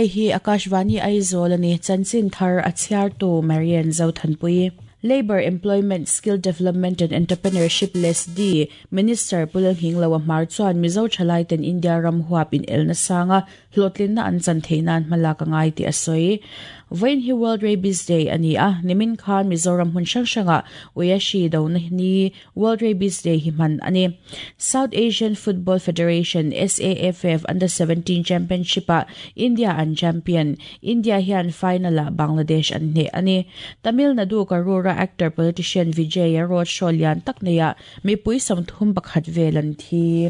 Hei hi Akashvani Aizawl a ni, chanchin thar a chhiartu Marian Zothanpui. Labour, Employment, Skill Development and Entrepreneurship, LESDI, Minister Pu Lalhingloa Hmar chuan Mizo thalaiten India ram huap inelna sanga hlawhtlinna an chan theih nan hmalak a ngai tih a sawi. Vawiin hi World Rabies Day a ni a, nimin khan Mizoram hmun hrang hrangah Uiashi dona ni World Rabies Day hi hman a ni. South Asian Football Federation, SAFF, Under 17 Championship-ah India an champion. India hian final-ah Bangladesh an hneh a ni. Tamil Nadu Karur-a actor-politician Vijay-a road show lian tak neiah mipui 31 vel an thi.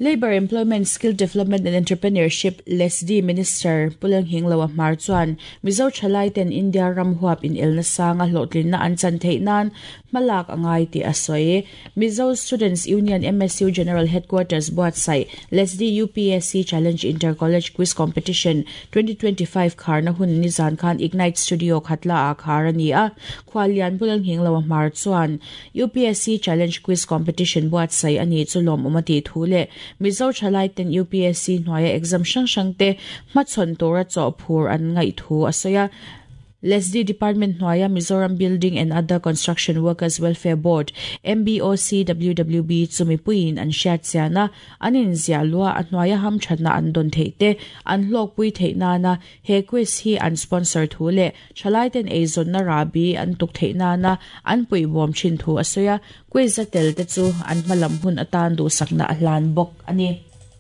Labour, Employment, Skill Development and Entrepreneurship, LESDI, Minister Pu Lenghingloa Hmar chuan Mizo thalaiten India ram huap inelna sanga hlawhtlinna an chan theih nan hmalak a ngai tih a sawi. Mizo Students Union, MSU, General Headquarters buatsaih LESDI UPSC Challenge Inter College Quiz Competition 2025 kharna hun nizan khan Ignite Studio Khatla ah khar a ni a. Khuallian Pu Lenghingloa Hmar chuan UPSC Challenge Quiz Competition buatsaih a nih chu lawmawm a tih thu leh Mizo thalaiten UPSC hnuaia exam hrang hrangte hmachhawn tura chawhphur an ngaih thu a sawi a. LESDI Department hnuaia Mizoram Building and Other Construction Workers Welfare Board, MBOCWWB, chu mipuiin an hriat chian a, an inziah luah a hnuaia hamthatna an dawn theih te an hlawkpui theih nana he quiz hi an sponsor thu leh Thalaiten eizawnna rahbi an tuk theih nana an puihbawm thin thu a sawi a, quiz a tel te chu an hmalam hun atan duhsakna a hlan bawk a ni.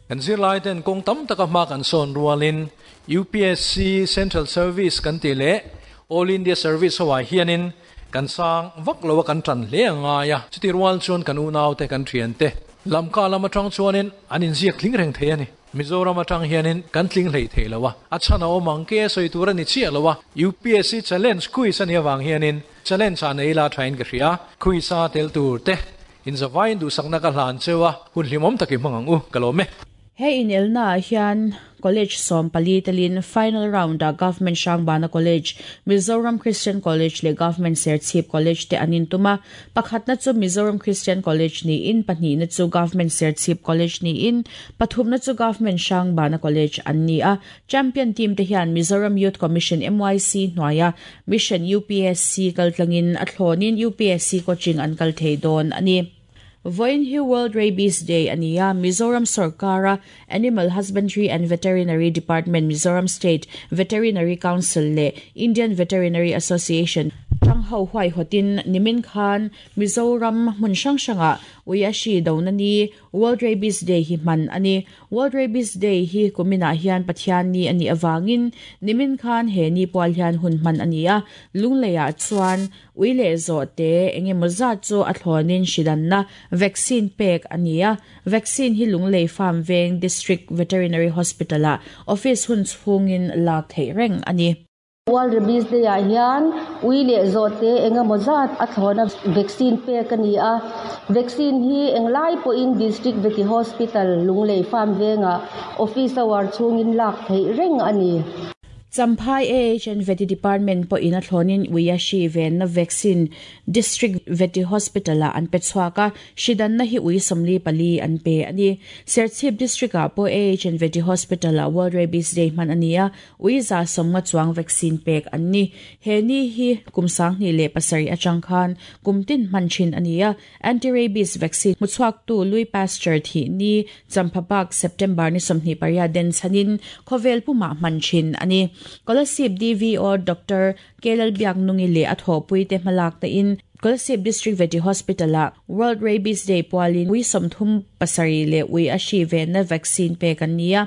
Kan zirlaiten kawng tam taka hma kan sawn rualin UPSC Central Service kan tih leh All India Service ho ah hianin kan sang vak lo a kan tan hle a ngai a, chuti rual chuan kan unaute kan thiante lamka lam atang chuanin an inziak tling reng thei a ni. Mizoram atang hianin kan tling hlei thei lo a, a chhan a awm ang ke sawi tur a ni chiah lo a, UPSC challenge quiz a nih avang hianin challenge ah nei ila thain ka hria, quiz a tel tur te inzavain duhsakna ka hlan cheu a, hun hlimawm tak i hmang ang u, ka lawm e. He inelna ah hian College 14 telin final round ah Government Hrangbana College, Mizoram Christian College leh Government Serchhip College te an intum a. Pakhatna chu Mizoram Christian College niin pahnihna chu Government Serchhip College niin pathumna chu Government Hrangbana College an ni a. Champion team te hian Mizoram Youth Commission, MYC, hnuaia Mission UPSC kaltlangin a thlawnin UPSC coaching an kal thei dawn a ni. Vawiin hi World Rabies Day a ni a, Mizoram sorkara Animal Husbandry and Veterinary Department, Mizoram State Veterinary Council leh Indian Veterinary Association tang ho huaihawtin nimin khan Mizoram hmun hrang hrangah ui a hri dona ni World Rabies Day hi hman a ni. World Rabies Day hi kuminah hian Pathian ni a nih avangin nimin khan he ni pual hian hun hman a ni a, Lungleiah chuan Ui leh zawhte eng emaw zat chu a thlawnin hridanna vaccine pek a ni a, vaccine hi Lunglei Farm Veng District Veterinary Hospital-ah office hun chhungin lak theih reng a ni. World Rabies Day-ah hian ui leh zawhte eng emaw zat a thlawna vaccine pek a ni a, vaccine hi englai pawhin District Vety Hospital, Lunglei Farm Vengah office hour chhungin lak theih reng a ni. Champhai AHN Vety Department pawhin a thlawnin Uiashi venna vaccine District Vety Hospital-ah an pe chhuak a, hridanna hi ui 44 an pe a ni. Serchhip District-ah pawh AHN Vety Hospital-ah World Rabies Day hman a ni a, ui 150 chuang vaccine pek an ni. He ni hi kum 2007 atang khan kum tin hman thin a ni a, Anti-rabies vaccine hmuchhuaktu Louis Pasteur thih ni Champhabak September ni 28 den chhanin khawvel pumah hman thin a ni. Kolasib DVO Doctor Kelalbiaknungi leh a thawhpuite hmalak tain Kolasib District Vety Hospital-ah World Rabies Day pualin ui 37 leh ui a hri venna vaccine pek an ni a.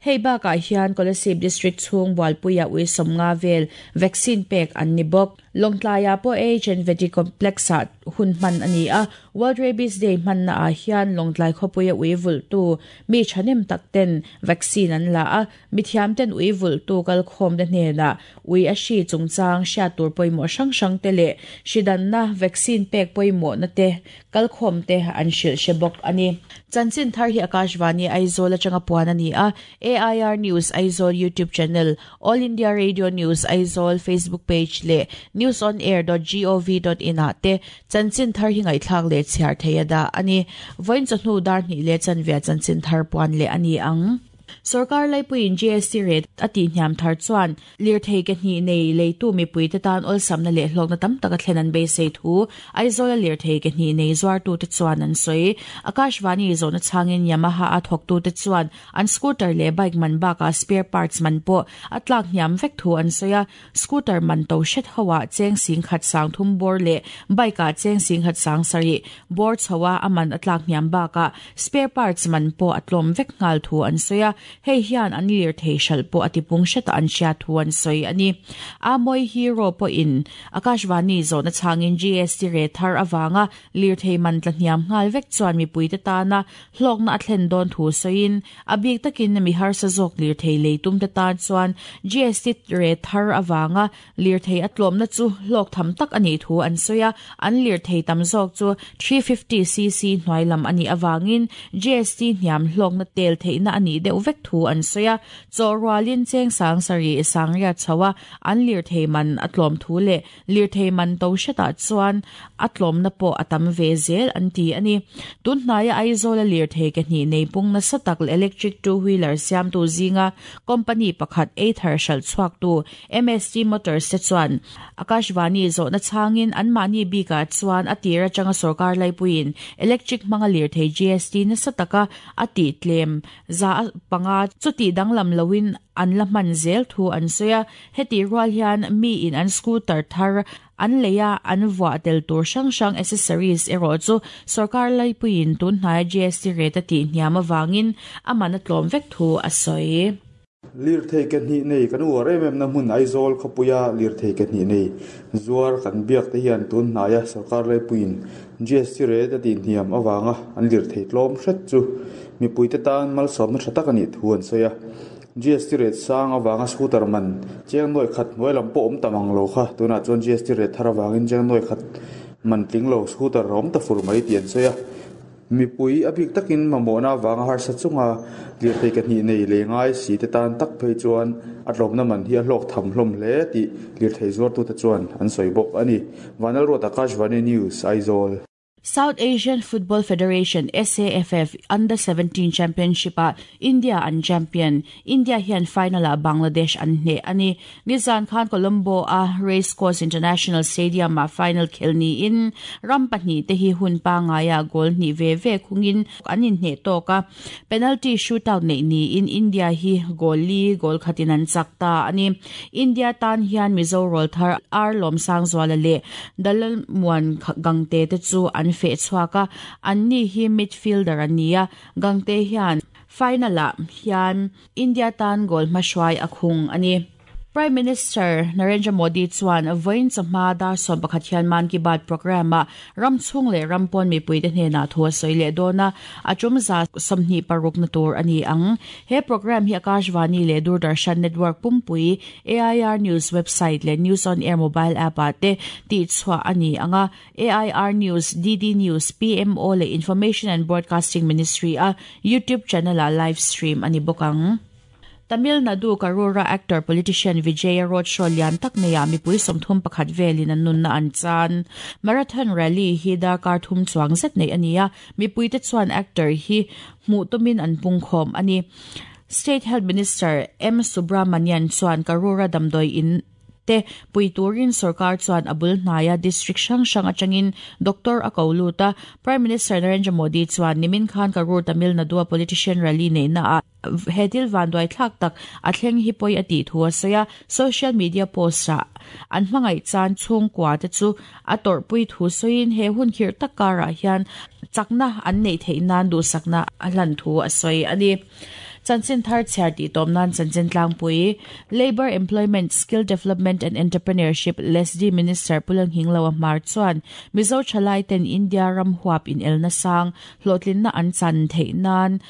Hei bakah hian Kolasib District chhung bualpuiah ui 50 vel vaccine pek an ni bawk. Lawngtlaiah pawh AHN Vety Complex-ah hun hman a ni a, World Rabies Day hmannaah hian Lawngtlai khawpuia ui vulhtu mi thahnem tak ten vaccine an la a, mithiam ten ui vulhtu kalkhawmte hnenah ui a hri chungchang hriat tur pawimawh hrang hrang te leh hri danna vaccine pek pawimawhna te kalkhawmte an hrilh hre bawk a ni. Chanchin thar hi Akashvani Aizawl atanga puan a ni a, AIR News Aizawl YouTube channel, All India Radio News Aizawl Facebook page leh newsonair.gov.in ah te chanchin thar hi ngaihthlak leh chhiar thei a dah a ni. Vawiin chawhnu dar hnih leh chanve chanchin thar puan leh a ni ang. Sorkar laipuiin GST rate a tihhniam thar chuan lirthei ke hnih nei leitu mipuite tan awlsamna leh hlawkna tam tak a thlen an beisei thu Aizawla lirthei ke hnih nei zuartute chuan an sawi. Akashvani zawhna chhangin Yamaha a thawktute chuan an scooter leh bike man bakah spare parts man pawh a tlak hniam vek thu an sawi a. Scooter man to hret hoah cheng singkhat sang thum bawr leh bike ah cheng singkhat sang sarih bawr chho a a man a tlak hniam bakah spare parts man pawh a tlawm vek nghal thu an sawi a, hei hian an lirthei hralh pawh a tipung hretah an hriat thu an sawi a ni. Amoy Hero pawhin Akashvani zawhna chhangin GST rate thar avanga lirthei man tla hniam nghal vek chuan mipuite tana hlawkna a thlen dawn thu sawiin a bik takin mi harsa zawk lirthei lei tumte tan chuan GST rate thar avanga lirthei a tlawmna chu hlawk tham tak a nih thu an sawi a, an lirthei tam zawk chu 350cc hnuai lam a nih avangin GST hniam hlawkna tel theihna a nih deuh vek thu an sawi a, chaw rualin cheng sang sarih sangriat chho a an lirthei man a tlawm thu leh Lirthei man to hretah chuan a tlawmna pawh a tam ve zel an ti a ni. Tun hnaia Aizawla lirthei ke hnih nei pung nasa tak leh electric two wheeler siamtu zinga company pakhat Ather hralh chhuaktu MST Motors te chuan Akashvani zawhna chhangin anmahni bikah chuan a tir atanga sorkar laipuiin electric hmanga lirthei GST nasa taka a tih tlem za panga chutih danglam loin an la hman zel thu an sawi a. Hetih rual hian miin an scooter thar an lei a, an vuah tel tur hrang hrang accessories erawh chu sorkar laipuiin tun hnaia GST rate a tih hniam avangin a man a tlawm vek thu a sawi. Lirthei ke hnih nei kan uar em em na hmun Aizawl khawpuia lirthei ke hnih nei zuar kan biak te hian tun hnaia sorkar laipuiin GST rate a tih hniam avanga an lirthei tlawm hret chu mipuite tan malsawmna tha tak a nih thu an sawi a. GST rate sang avanga scooter man cheng nuai khat hnuai lam pawh awm tam ang lo kha. Tunah chuan GST rate thar avangin cheng nuai khat man tling lo scooter a awm ta fur mai tih an sawi a. Mipui a bik takin mamawhna avanga harsa chunga lirthei ke hnih nei leh ngai si te tan tak phei chuan a tlawmna man hi a hlawk tham hlawm hle tih lirthei zuartute chuan an sawi bawk a ni. Vanlalruat Akashvani News, Aizawl. South Asian Football Federation, SAFF, Under 17 Championship-ah India an champion. India hian final-ah Bangladesh an hneh a ni. Nizan khan Colombo-a Race Course International Stadium-ah final khelh niin ram pahnihte hi hun pangaiah goal hnih ve ve khungin an inhneh tawk a. Penalty shootout neih niin India hi goal li goal khatin an chak ta a ni. India tan hian Mizo rawlthar R Lawmsangzuala leh Dalalmuan Gangte te chu an feh chhuak a, anni hi midfielder an ni a, Gangte hian final-ah hian India tan goal hmahruai a khung a ni. Prime Minister Narendra Modi chuan vawiin chawhma dar 11 hian Mann Ki Baat programme-ah ram chhung leh ram pawn mipuite hnenah thu a sawi leh dawn a, a tum za 26 na tur a ni ang. He programme hi Akashvani leh Doordarshan network pumpui, AIR News website leh News on Air mobile app-ah te tihchhuah a ni ang a, AIR News, DD News, PMO leh Information and Broadcasting Ministry-a YouTube channel-ah live stream a ni bawk ang. Tamil Nadu Karura actor politician Vijaya road show lian tak neiah mipui 31 velin an nunna an chan. Marathon rally hi darkar thum chuang zet neih a ni a, mipuite chuan actor hi hmuh tumin an pungkhawm a ni. State Health Minister M Subramanian chuan Karura damdawi in te pui turin sorkar chuan a bul hnaia district hrang hrang atangin doctor a ko lut a. Prime Minister Narendra Modi chuan nimin khan Karur Tamil Nadu-a politician rally neihna ah he thil vanduai thlak tak a thleng hi pawi a tih thu a sawi a. Social media post ah an hmangaih chan chhungkua te chu a tawrhpui thu sawiin he hun khirh tak karah hian chakna an neih theih nan duhsakna a hlan thu a sawi a ni. Chanchin thar chhiar tih tawm nan chanchin tlangpui, Labour, Employment, Skill Development and Entrepreneurship, LESDE, Minister Pu Lalnghingloa Hmar chuan Mizo thalai ten India ram huap inelna sang hlawhtlinna an chan theih nan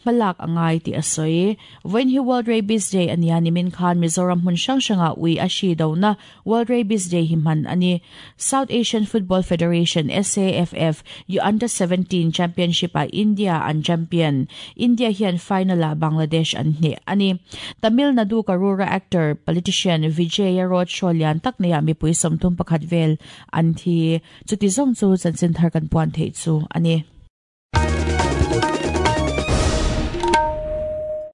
hmalak a ngai tih a sawi. Vawiin hi World Rabies Day a nia nimin khan Mizoram hmun hrang hrangah ui a hri dona World Rabies Day hi hman a ni. South Asian Football Federation, SAFF, U Under 17 Championship-ah India an champion. India hian final-ah Bangladesh an hneh a ni. Tamil Nadu Karura actor, politician Vijaya road show lian tak neiah mipui 31 vel an thi. Chuti zawng chu chanchin thar kan puan theih chu a ni.